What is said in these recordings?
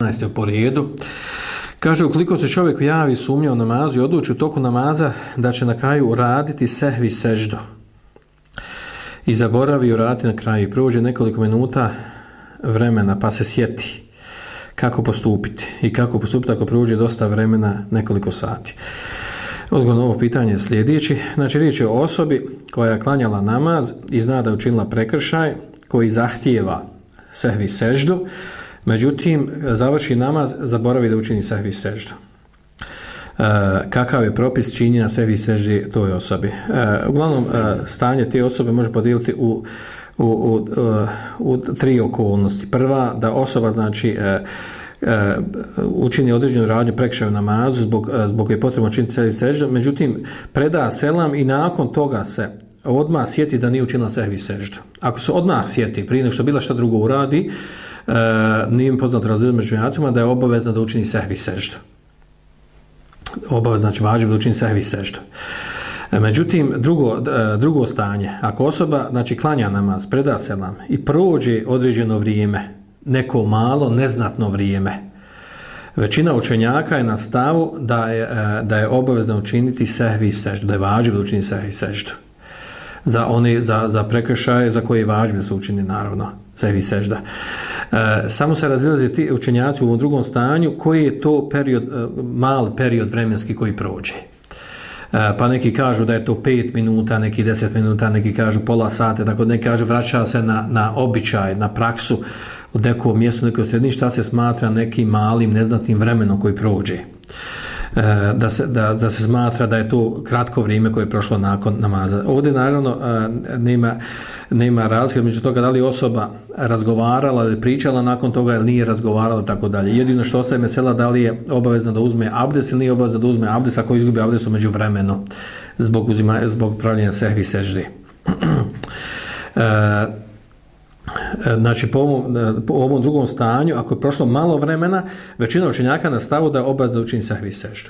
15. po redu. Kaže, ukoliko se čovjek javi sumnja u namazu i odluči u toku namaza da će na kraju uraditi sehvi seždu i zaboravi uraditi na kraju i prođe nekoliko minuta vremena pa se sjeti kako postupiti i kako postupiti ako prođe dosta vremena, nekoliko sati. Odgovor na ovo pitanje je sljedeći. Znači, riječ je o osobi koja je klanjala namaz i zna da je učinila prekršaj koji zahtijeva sehvi seždu, međutim, završi namaz, zaboravi da učini sehvi seždu. Kakav je propis činjenja sehvi seždi toj osobi? Uglavnom, stanje te osobe može podijeliti u tri okolnosti. Prva, da osoba, znači, učini određenu radnju prekršaju namazu zbog je potrebno učiniti sehvi seždu, međutim, preda selam i nakon toga se odmah sjeti da nije učinila sehvi seždu. Ako se odmah sjeti, prije nego što bila šta drugo uradi, nije mi poznato razlijedno među učenjacima da je obavezno da učini sehvi seždu. Obavezno, znači važno da učini sehvi seždu. Međutim, drugo stanje, ako osoba, znači, klanja namaz, preda selam i prođe određeno vrijeme, neko malo, neznatno vrijeme, većina učenjaka je na stavu da je obavezno učiniti sehvi seždu, da je važno da učini sehvi seždu. Za prekršaje za koje je važno da se učini, naravno, sehvi sežda. Samo se razilaze ti učenjaci u ovom drugom stanju koji je to period, mali period vremenski koji prođe. Pa neki kažu da je to 5 minuta, neki 10 minuta, neki kažu pola sata, tako neki kažu vraća se na običaj, na praksu od nekog mjestu, nekog sredini, šta se smatra nekim malim, neznatnim vremenom koji prođe. Da se smatra da je to kratko vrijeme koje je prošlo nakon namaza. Ovdje naravno nema razlike među toga da li osoba razgovarala ili pričala nakon toga ili nije razgovarala, tako dalje. Jedino što ostaje mesela da li je obavezno da uzme abdest ili nije obavezno da uzme abdest ako izgubi abdest među vremenu zbog pravljenja sehvi seždi. Znači, po ovom drugom stanju, ako je prošlo malo vremena, većina učenjaka na stavu da je obavezno učini sehvi seždu.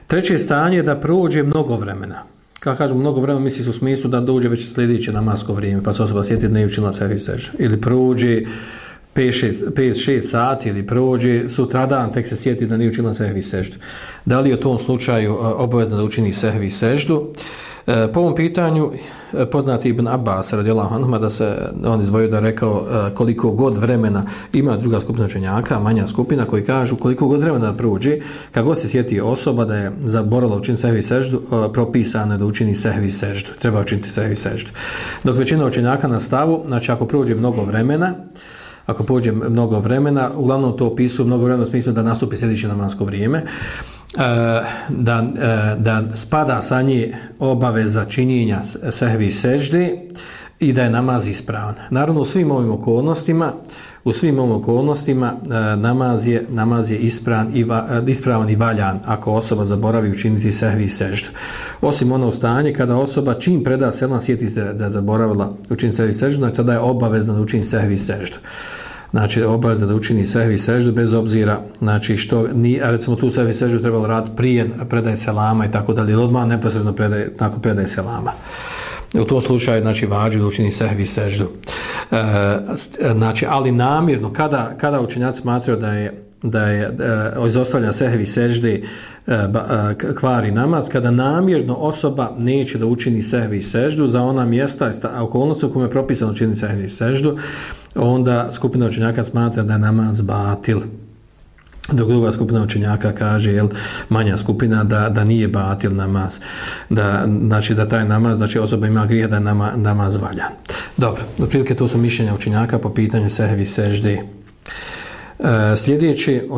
Treće stanje je da prođe mnogo vremena. Kako kažemo mnogo vremena, misli se u smislu da dođe već sljedeće namasko vrijeme, pa se osoba sjeti da nije učinila sehvi seždu. Ili prođe 5-6 sati, ili prođe sutradan, tek se sjeti da nije učinila sehvi seždu. Da li je u tom slučaju obavezno da učini sehvi seždu? Po ovom pitanju poznati Ibn Abbas radijallahu anhu da se on izdvojio da rekao koliko god vremena ima druga skupina učenjaka, manja skupina koji kažu koliko god vremena da prođe, kako se sjeti osoba da je zaboravila učiniti sehvi seždu, propisano je da učini sehvi seždu, treba učiniti sehvi seždu. Dok većina učenjaka na stavu, znači ako prođe mnogo vremena, uglavnom to opisuju mnogo vremena u smislu da nastupi sljedeće namasko vrijeme, da spada sa nje obaveza činjenja sehvi sežde i da je namaz ispravan. Naravno, u svim ovim okolnostima namaz je ispravan i valjan ako osoba zaboravi učiniti sehvi seždu. Osim ono stanje kada osoba čim preda selam sjeti se da je zaboravila učiniti sehvi seždu, znači tada je obavezna da učini sehvi seždu. Znači, obavezno da učini sehvi seždu bez obzira, znači, što recimo tu sehvi seždu trebalo raditi prije predaje selama i tako dalje, ili odmah neposredno nakon predaje selama. U tom slučaju, znači, važno da učini sehvi seždu. Znači, ali namjerno, kada učenjaci smatraju da je izostavljanje sehvi sežde kvari namaz, kada namjerno osoba neće da učini sehvi seždu za ona mjesta okolnosti u kome je propisano učiniti sehvi seždu, onda skupina učenjaka smatra da je namaz batil. Dok druga skupina učenjaka kaže, manja skupina, da nije batil namaz. Znači da taj namaz, znači osoba ima grijeha da je namaz valjan. Dobro, otprilike to su mišljenja učenjaka po pitanju sehvi sežde. Sljedeći,